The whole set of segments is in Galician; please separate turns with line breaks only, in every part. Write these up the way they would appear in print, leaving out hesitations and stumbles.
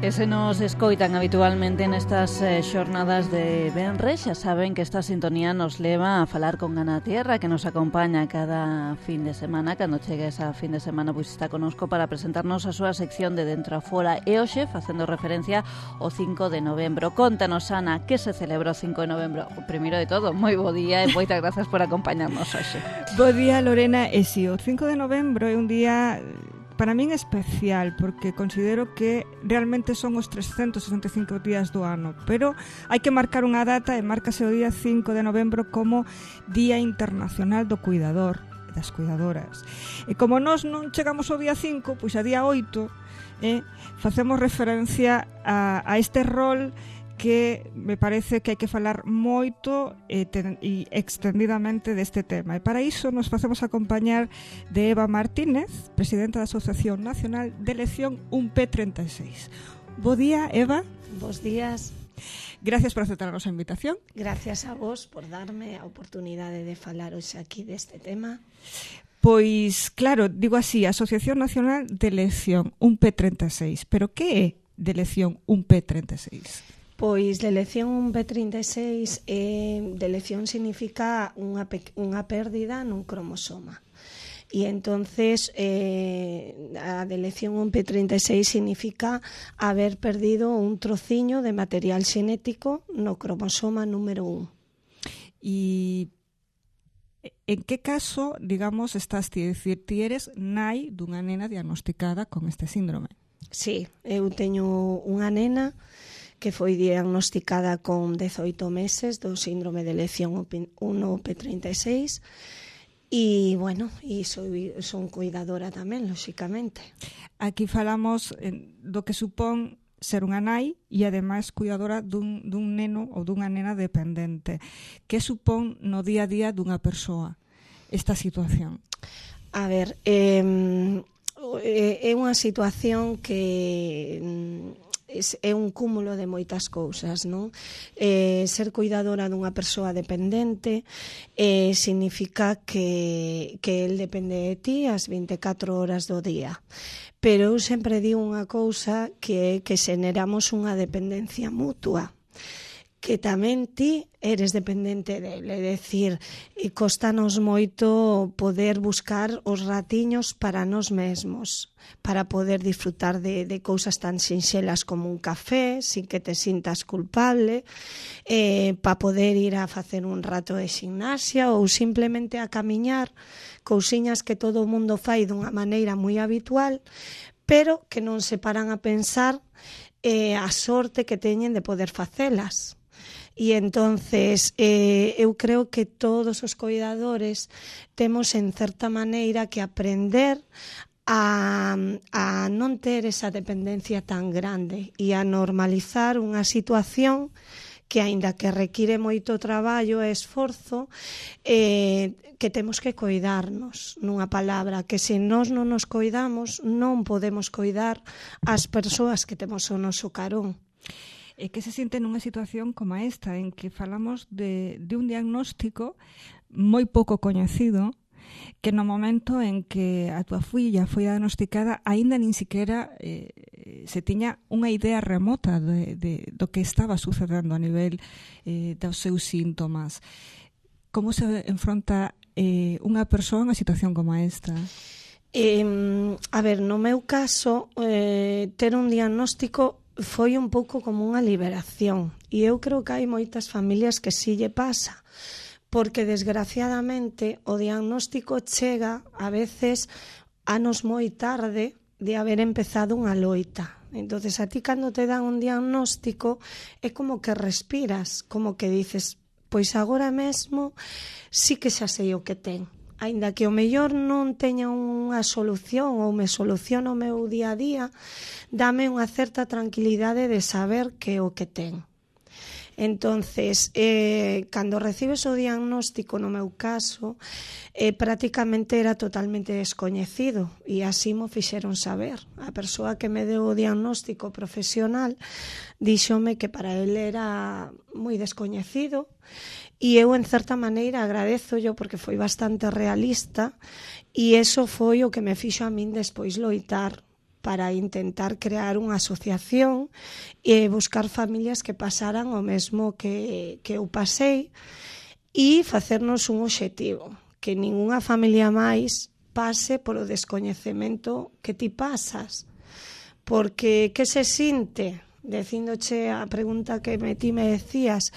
E se nos escoitan habitualmente nestas xornadas de Benres, xa saben que esta sintonía nos leva a falar con Ana Tierra, que nos acompaña cada fin de semana. Cando chegue esa fin de semana, pois está connosco para presentarnos a súa sección de Dentro a Fora. E hoxe, facendo referencia ao 5 de novembro. Contanos, Ana, que se celebra o 5 de novembro? Primeiro de todo, moi bo día e moitas grazas por acompañarnos hoxe.
Bo día, Lorena. E si, o 5 de novembro é un día para min especial, porque considero que realmente son os 365 días do ano, pero hai que marcar unha data e márcase o día 5 de novembro como Día Internacional do Cuidador e das Cuidadoras. E como nós non chegamos ao día 5, pois a día 8 facemos referencia a este rol que me parece que hai que falar moito e extendidamente deste tema. E para iso nos facemos acompañar de Eva Martínez, presidenta da Asociación Nacional de Elección UNP36. Bo día, Eva.
Bos días.
Gracias por aceptar a nosa invitación.
Gracias a vos por darme a oportunidade de falar hoxe aquí deste tema.
Pois, claro, digo así, Asociación Nacional de Elección UNP36. Pero que é de elección UNP36?
Pois de elección UNP36, de elección significa unha pérdida nun cromosoma. E entonces a de elección UNP36 significa haber perdido un trociño de material xenético no cromosoma número 1.
E en que caso, digamos, estás ti? É dicir, ti eres nai dunha nena diagnosticada con este síndrome.
Sí, eu teño unha nena que foi diagnosticada con 18 meses do síndrome de elección 1P36 e, bueno, son cuidadora tamén, lóxicamente.
Aquí falamos do que supón ser unha nai e, ademais, cuidadora dun neno ou dunha nena dependente. Que supón no día a día dunha persoa esta situación?
A ver, é unha situación que é un cúmulo de moitas cousas, non? Ser cuidadora dunha persoa dependente significa que el depende de ti as 24 horas do día. Pero eu sempre digo unha cousa que é que xeneramos unha dependencia mutua, que tamén ti eres dependente dele, é dicir, costanos moito poder buscar os ratiños para nós mesmos, para poder disfrutar de cousas tan sinxelas como un café, sin que te sintas culpable, para poder ir a facer un rato de gimnasia ou simplemente a camiñar, cousiñas que todo o mundo fai dunha maneira moi habitual, pero que non se paran a pensar a sorte que teñen de poder facelas. E entonces eu creo que todos os cuidadores temos en certa maneira que aprender a non ter esa dependencia tan grande e a normalizar unha situación que, aínda que require moito traballo e esforzo, que temos que coidarnos, nunha palabra, que se nós non nos coidamos non podemos coidar as persoas que temos ao noso carón.
E que se siente nunha situación como esta, en que falamos de un diagnóstico moi pouco coñecido, que no momento en que a túa filla foi diagnosticada, aínda nin siquiera se tiña unha idea remota do que estaba sucedendo a nivel dos seus síntomas. Como se enfronta unha persoa en unha situación como esta?
A ver, no meu caso, ter un diagnóstico foi un pouco como unha liberación, e eu creo que hai moitas familias que si lle pasa, porque desgraciadamente o diagnóstico chega a veces anos moi tarde de haber empezado unha loita. Entonces, a ti cando te dan un diagnóstico é como que respiras, como que dices, pois agora mesmo sí que xa sei o que ten. Aínda que o mellor non teña unha solución ou me soluciona o meu día a día, dame unha certa tranquilidade de saber que é o que ten. Entonces, cando recibes o diagnóstico, no meu caso, prácticamente era totalmente descoñecido e así mo fixeron saber. A persoa que me deu o diagnóstico profesional díxome que para ele era moi descoñecido. E eu, en certa maneira, agradezollo porque foi bastante realista e eso foi o que me fixo a min despois loitar para intentar crear unha asociación e buscar familias que pasaran o mesmo que eu pasei e facernos un obxectivo, que ningunha familia máis pase polo descoñecemento que ti pasas. Porque que se sinte, dicíndoche a pregunta que ti me decías,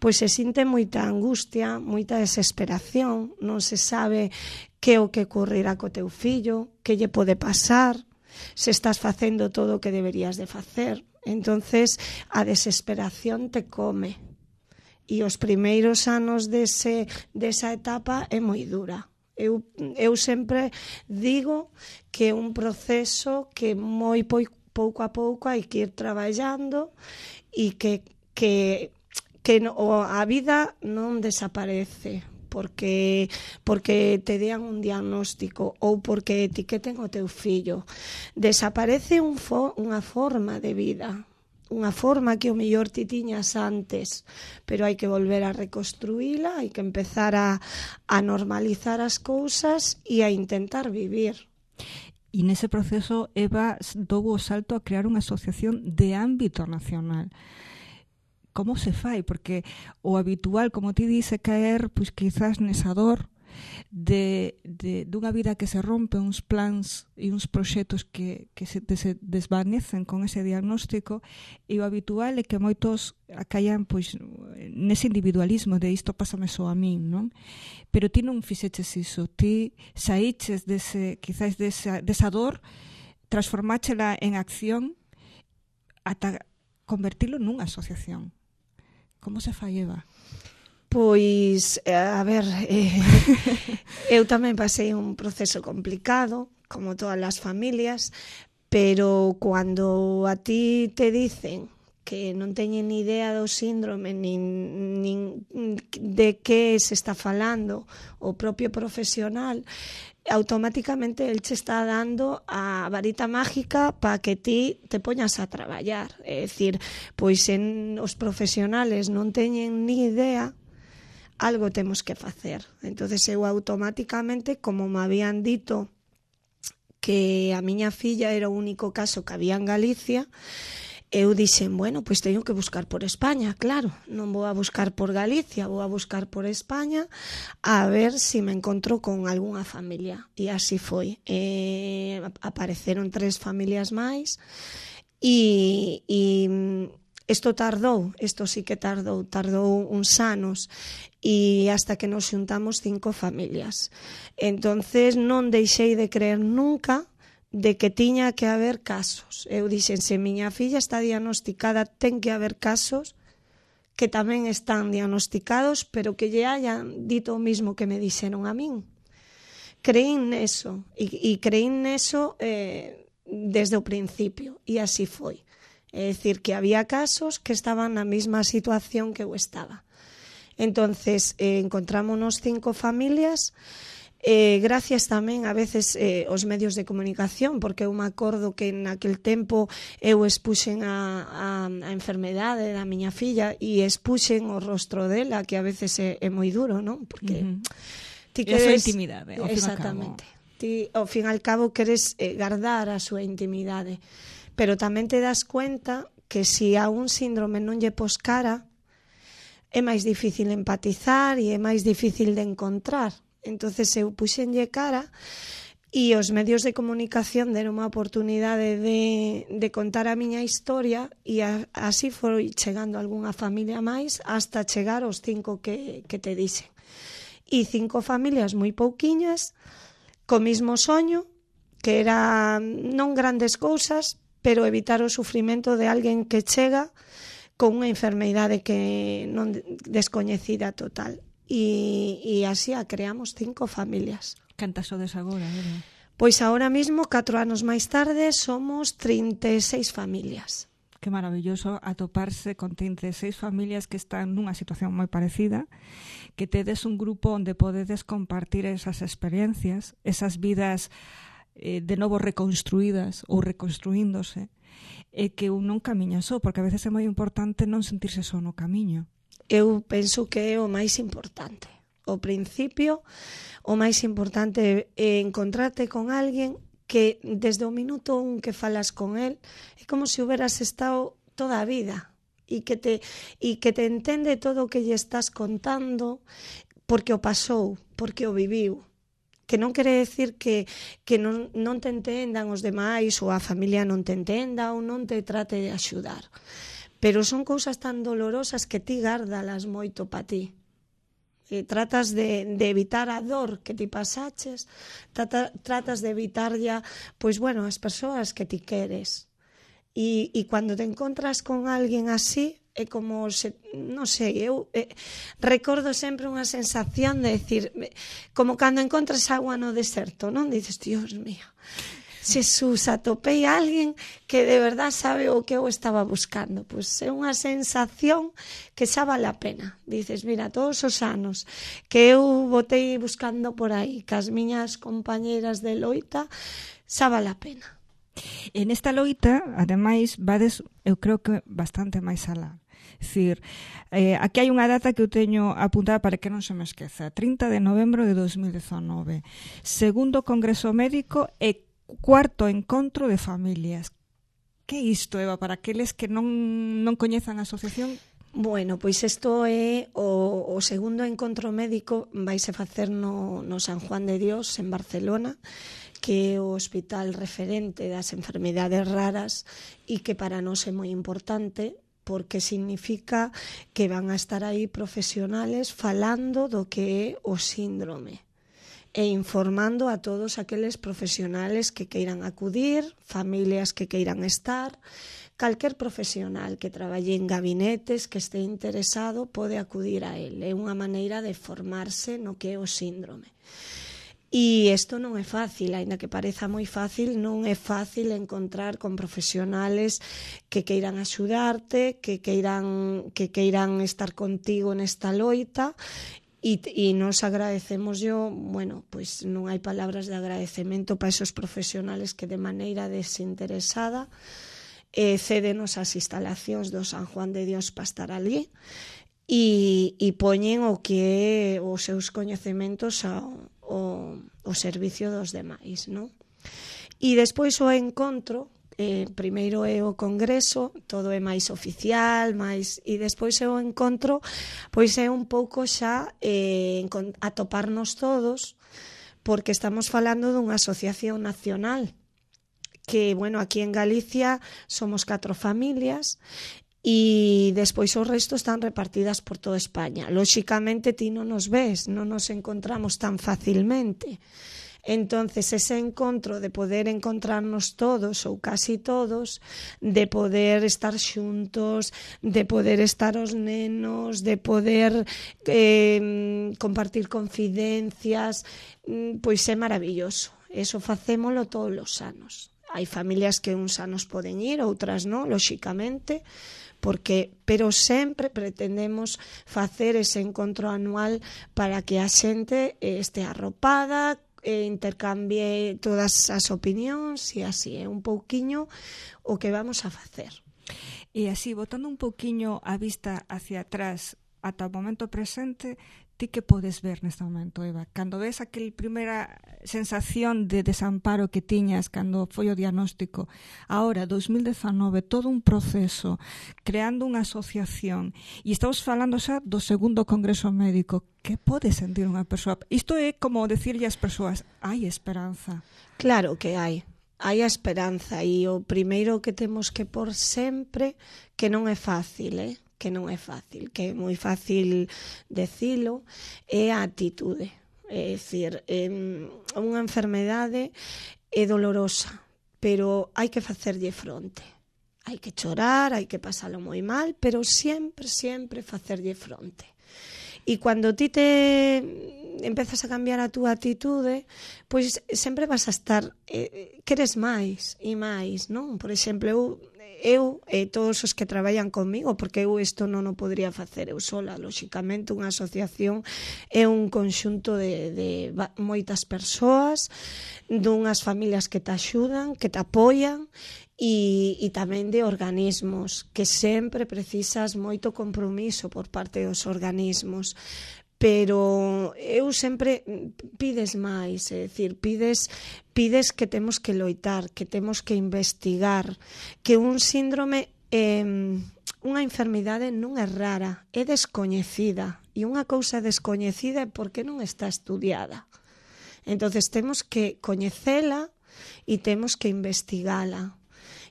pois se sinte moita angustia, moita desesperación, non se sabe que o que ocurrirá co teu fillo, que lle pode pasar, se estás facendo todo o que deberías de facer. Entonces a desesperación te come. E os primeiros anos desa etapa é moi dura. Eu sempre digo que é un proceso que moi pouco a pouco hai que ir traballando e que a vida non desaparece porque te dean un diagnóstico ou porque etiqueten o teu fillo. Desaparece unha forma de vida, unha forma que o mellor ti tiñas antes, pero hai que volver a reconstruíla, hai que empezar a normalizar as cousas e a intentar vivir.
E nese proceso, Eva dou o salto a crear unha asociación de ámbito nacional. Como se fai? Porque o habitual, como ti dice, caer, pois quizás nesa dor dunha vida que se rompe, uns plans e uns proxectos que se desvanecen con ese diagnóstico, e o habitual é que moitos caian pois nese individualismo de isto pásame só a min, non? Pero ti non fixeches iso, ti saíches quizás desa dor, transformáchela en acción ata convertilo nunha asociación. Como se fai, Eva?
Pois, a ver, eu tamén pasei un proceso complicado, como todas as familias, pero cando a ti te dicen que non teñen ni idea do síndrome nin de que se está falando o propio profesional, automáticamente el che está dando a varita mágica para que ti te poñas a traballar. É dicir, pois os profesionales non teñen ni idea, algo temos que facer. Entonces eu automáticamente, como me habían dito que a miña filla era o único caso que había en Galicia, eu dixen, bueno, pois teño que buscar por España, claro, non vou a buscar por Galicia, vou a buscar por España a ver se me encontro con algunha familia. E así foi. Apareceron 3 familias máis e isto sí que tardou uns anos e hasta que nos xuntamos 5 familias. Entonces non deixei de creer nunca de que tiña que haber casos. Eu dixen, se miña filla está diagnosticada, ten que haber casos que tamén están diagnosticados, pero que lle hayan dito o mismo que me dixeron a min. Creín neso, e creín neso desde o principio, e así foi. É dicir, que había casos que estaban na mesma situación que eu estaba. Entonces, encontrámonos 5 familias, gracias tamén a veces aos medios de comunicación, porque eu me acordo que naquel tempo eu expuxen a enfermedade da miña filla e expuxen o rostro dela, que a veces é moi duro, non? Porque ti queres...
É a súa intimidade, ao fin e ao cabo.
Ti, ao fin e ao cabo, queres guardar a súa intimidade. Pero tamén te das cuenta que se a un síndrome non lle pos cara, é máis difícil empatizar e é máis difícil de encontrar. Entonces eu puxenlle cara e os medios de comunicación deron unha oportunidade de contar a miña historia e así foi chegando algunha familia máis hasta chegar aos 5 que te dixen. E 5 familias moi pouquiñas, co mismo soño, que era non grandes cousas, pero evitar o sufrimento de alguén que chega con unha enfermidade que non descoñecida total. E así a creamos 5 familias.
Cantas sodes agora, Eva?
Pois agora mismo, 4 anos máis tarde, somos 36 familias.
Que maravilloso atoparse con 36 familias que están nunha situación moi parecida, que tedes un grupo onde podedes compartir esas experiencias, esas vidas de novo reconstruídas ou reconstruíndose, e que un non camiña só, porque a veces é moi importante non sentirse só no camiño.
Eu penso que é o máis importante. O principio, o máis importante é encontrarte con alguén que desde o minuto un que falas con el é como se hubieras estado toda a vida e que te entende todo o que lle estás contando porque o pasou, porque o viviu. Que non quere decir que non te entendan os demais ou a familia non te entenda ou non te trate de axudar. Pero son cousas tan dolorosas que ti gárdalas moito pa ti. Tratas de evitar a dor que ti pasaches, tratas de evitar ya, pois bueno, as persoas que ti queres. E cando te encontras con alguén así, é como, non sei, eu recordo sempre unha sensación de decir, como cando encontras agua no deserto, non? Dices, Dios mío, Xesús, atopei a alguén que de verdad sabe o que eu estaba buscando. Pois é unha sensación que xa vale a pena. Dices, mira, todos os anos que eu botei buscando por aí, que as miñas compañeras de loita, xa vale a pena.
En esta loita, ademais, vades, eu creo que bastante máis alá. É dicir, aquí hai unha data que eu teño apuntada para que non se me esqueza. 30 de novembro de 2019. Segundo Congreso Médico e cuarto encontro de familias. Que é isto, Eva, para aqueles que non coñezan a asociación?
Bueno, pois isto é o segundo encontro médico, vaise facer no San Juan de Dios, en Barcelona, que é o hospital referente das enfermidades raras e que para nós é moi importante porque significa que van a estar aí profesionales falando do que é o síndrome e informando a todos aqueles profesionales que queiran acudir, familias que queiran estar, calquer profesional que traballe en gabinetes que este interesado pode acudir a él. É unha maneira de formarse no que é o síndrome. E isto non é fácil, aínda que pareza moi fácil, non é fácil encontrar con profesionales que queiran axudarte, que queiran estar contigo nesta loita, e nos agradecemos bueno, pois non hai palabras de agradecemento para esos profesionales que de maneira desinteresada cédenos as instalacións do San Juan de Dios para estar ali e poñen o que é os seus coñecementos o servicio dos demais, non? E despois o encontro, primeiro é o congreso, todo é máis oficial, e despois é o encontro, pois é un pouco xa atoparnos todos, porque estamos falando dunha asociación nacional, que, bueno, aquí en Galicia somos 4 familias, e despois o resto están repartidas por toda España. Lóxicamente ti non nos ves, non nos encontramos tan facilmente. Entonces ese encontro de poder encontrarnos todos ou casi todos, de poder estar xuntos, de poder estar os nenos, de poder compartir confidencias, pois é maravilloso. Eso facémolo todos os anos. Hai familias que uns anos poden ir, outras non, lóxicamente, pero sempre pretendemos facer ese encontro anual para que a xente este arropada, intercambie todas as opinións e así é un pouquiño o que vamos a facer.
E así, botando un pouquiño a vista hacia atrás ata o momento presente, ti que podes ver neste momento, Eva? Cando ves aquel primeira sensación de desamparo que tiñas cando foi o diagnóstico, ahora, 2019, todo un proceso, creando unha asociación, e estamos falando xa do segundo Congreso Médico, que pode sentir unha persoa? Isto é como decirlle ás persoas, hai esperanza.
Claro que hai a esperanza, e o primeiro que temos que por sempre, que non é fácil, que non é fácil, que é moi fácil decilo, é a actitude. É dicir, unha enfermedade é dolorosa, pero hai que facerlle fronte. Hai que chorar, hai que pasalo moi mal, pero sempre, sempre facerlle fronte. E cando ti empezas a cambiar a túa actitude, pois sempre vas a estar, queres máis e máis, non? Por exemplo, eu e todos os que traballan comigo, porque eu isto non o podría facer eu sola, lóxicamente unha asociación é un conxunto de moitas persoas, dunhas familias que te axudan, que te apoian, e tamén de organismos, que sempre precisas moito compromiso por parte dos organismos, pero eu sempre pides máis, é dicir, pides que temos que loitar, que temos que investigar, que un síndrome unha enfermidade non é rara, é descoñecida, e unha cousa descoñecida é porque non está estudiada. Entonces temos que coñecela e temos que investigala.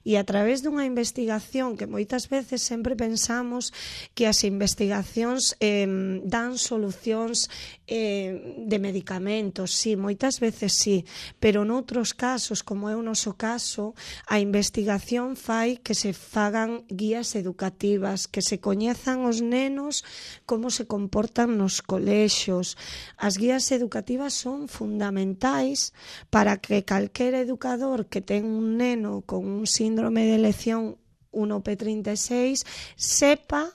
E a través dunha investigación que moitas veces sempre pensamos que as investigacións dan solucións de medicamentos, sí, moitas veces sí, pero noutros casos, como é o noso caso, a investigación fai que se fagan guías educativas, que se coñezan os nenos como se comportan nos colexios. As guías educativas son fundamentais para que calquera educador que ten un neno con un síndrome de elección 1P36 sepa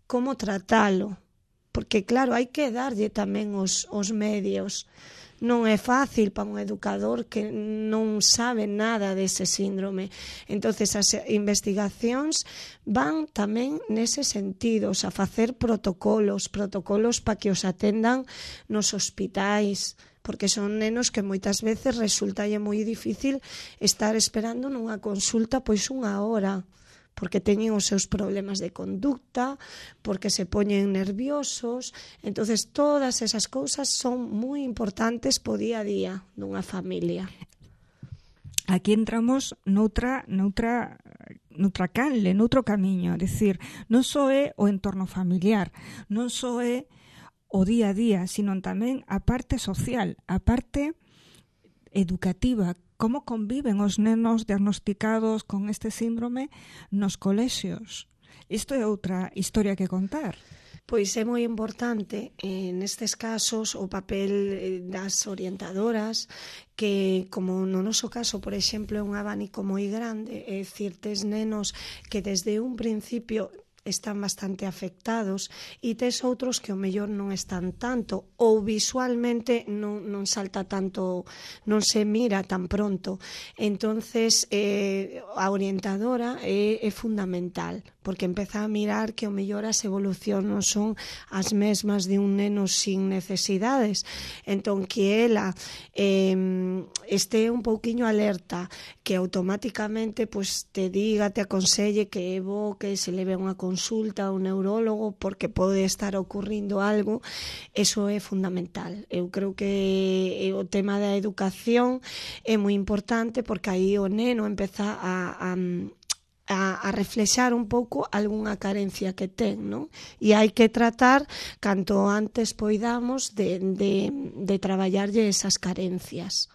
como tratalo, porque claro, hai que darlle tamén os medios. Non é fácil para un educador que non sabe nada dese síndrome. Entonces as investigacións van tamén nese sentido, a facer protocolos para que os atendan nos hospitais, porque son nenos que moitas veces resultalle moi difícil estar esperando nunha consulta pois unha hora, porque teñen os seus problemas de conducta, porque se poñen nerviosos. Entonces todas esas cousas son moi importantes po día a día dunha familia.
Aquí entramos noutra canle, noutro camiño, é dicir, non só é o entorno familiar, non só é o día a día, sino tamén a parte social, a parte educativa. Como conviven os nenos diagnosticados con este síndrome nos colexios? Isto é outra historia que contar.
Pois é moi importante nestes casos o papel das orientadoras, que como no noso caso, por exemplo, é un abanico moi grande, é dicir, tes nenos que desde un principio están bastante afectados e tes outros que o mellor non están tanto ou visualmente non salta tanto, non se mira tan pronto. Entonces a orientadora é fundamental, porque empeza a mirar que o mellor as evolucións non son as mesmas de un neno sin necesidades. Entón que ela este un pouquiño alerta, que automáticamente pues, te diga, te aconselle que é bo que se leve unha consulta a un neurólogo porque pode estar ocurrindo algo. Eso é fundamental. Eu creo que o tema da educación é moi importante, porque aí o neno empeza a reflexar un pouco algunha carencia que ten, non? E hai que tratar canto antes poidamos de traballarlle esas carencias.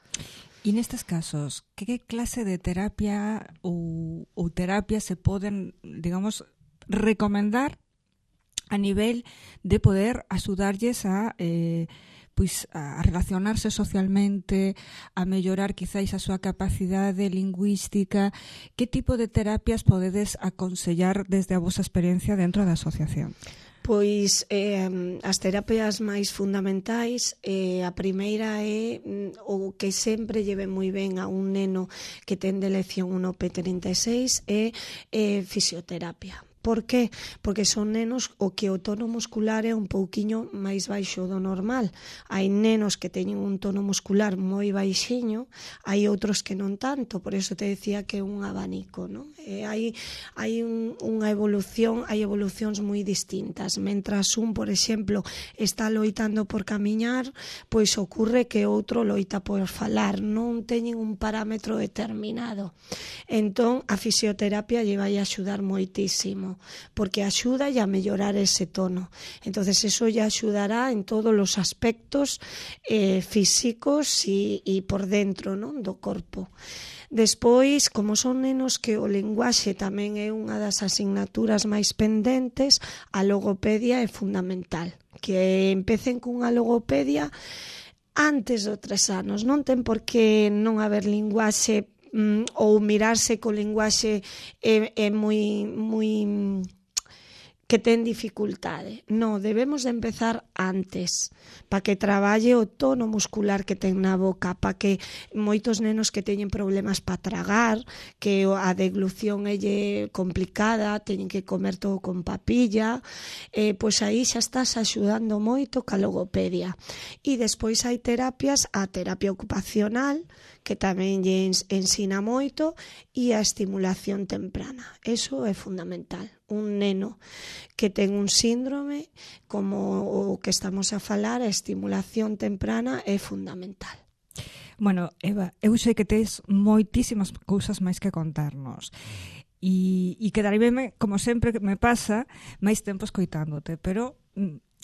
E nestes casos, que clase de terapia ou terapia se poden, digamos, recomendar a nivel de poder axudarlles a relacionarse socialmente, a mellorar quizáis a súa capacidade lingüística? Que tipo de terapias podedes aconsellar desde a vosa experiencia dentro da asociación?
Pois as terapias máis fundamentais, a primeira é o que sempre lleve moi ben a un neno que ten de elección 1P36 é fisioterapia. Por que? Porque son nenos o que o tono muscular é un pouquiño máis baixo do normal. Hai nenos que teñen un tono muscular moi baixiño, hai outros que non tanto, por eso te decía que é un abanico, non? Hai unha evolución, hai evolucións moi distintas. Mentras un, por exemplo, está loitando por camiñar, pois ocurre que outro loita por falar, non teñen un parámetro determinado. Entón, a fisioterapia lle vai axudar moitísimo, porque axuda a mellorar ese tono. Entonces eso lle axudará en todos os aspectos físicos e por dentro, non, do corpo. Despois, como son nenos que o linguaxe tamén é unha das asignaturas máis pendentes, a logopedia é fundamental. Que empecen cunha logopedia antes dos 3 anos. Non ten por que non haber linguaxe ou mirarse co linguaxe é moi que ten dificultade. No, debemos de empezar antes, para que traballe o tono muscular que ten na boca, para que moitos nenos que teñen problemas para tragar, que a deglución é complicada, teñen que comer todo con papilla, pois aí xa estás axudando moito ca logopedia. E despois hai terapias, a terapia ocupacional, que tamén lle ensina moito, e a estimulación temprana. Eso é fundamental. Un neno que ten un síndrome, como o que estamos a falar, a estimulación temprana é fundamental.
Bueno, Eva, eu sei que tes moitísimas cousas máis que contarnos. E quedaríame, como sempre me pasa, máis tempo escoitándote, pero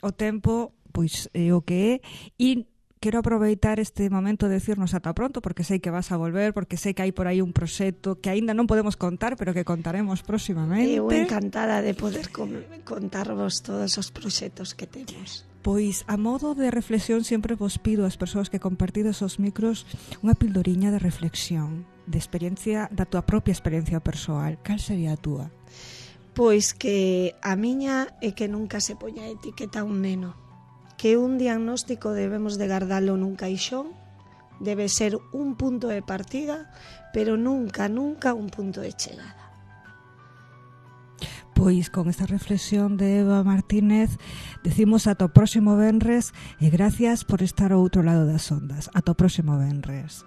o tempo pois é o que é, e quero aproveitar este momento de decirnos ata pronto, porque sei que vas a volver, porque sei que hai por aí un proxecto que aínda non podemos contar, pero que contaremos próximamente.
Eu encantada de poder contarvos todos os proxectos que temos.
Pois, a modo de reflexión, sempre vos pido ás persoas que compartides os micros unha pildoriña de reflexión, de experiencia, da tua propia experiencia persoal. Cal sería a túa?
Pois que a miña é que nunca se poña etiqueta a un neno, que un diagnóstico debemos de guardalo nun caixón, debe ser un punto de partida, pero nunca un punto de chegada.
Pois con esta reflexión de Eva Martínez decimos ata o próximo venres e gracias por estar ao outro lado das ondas. Ata o próximo venres.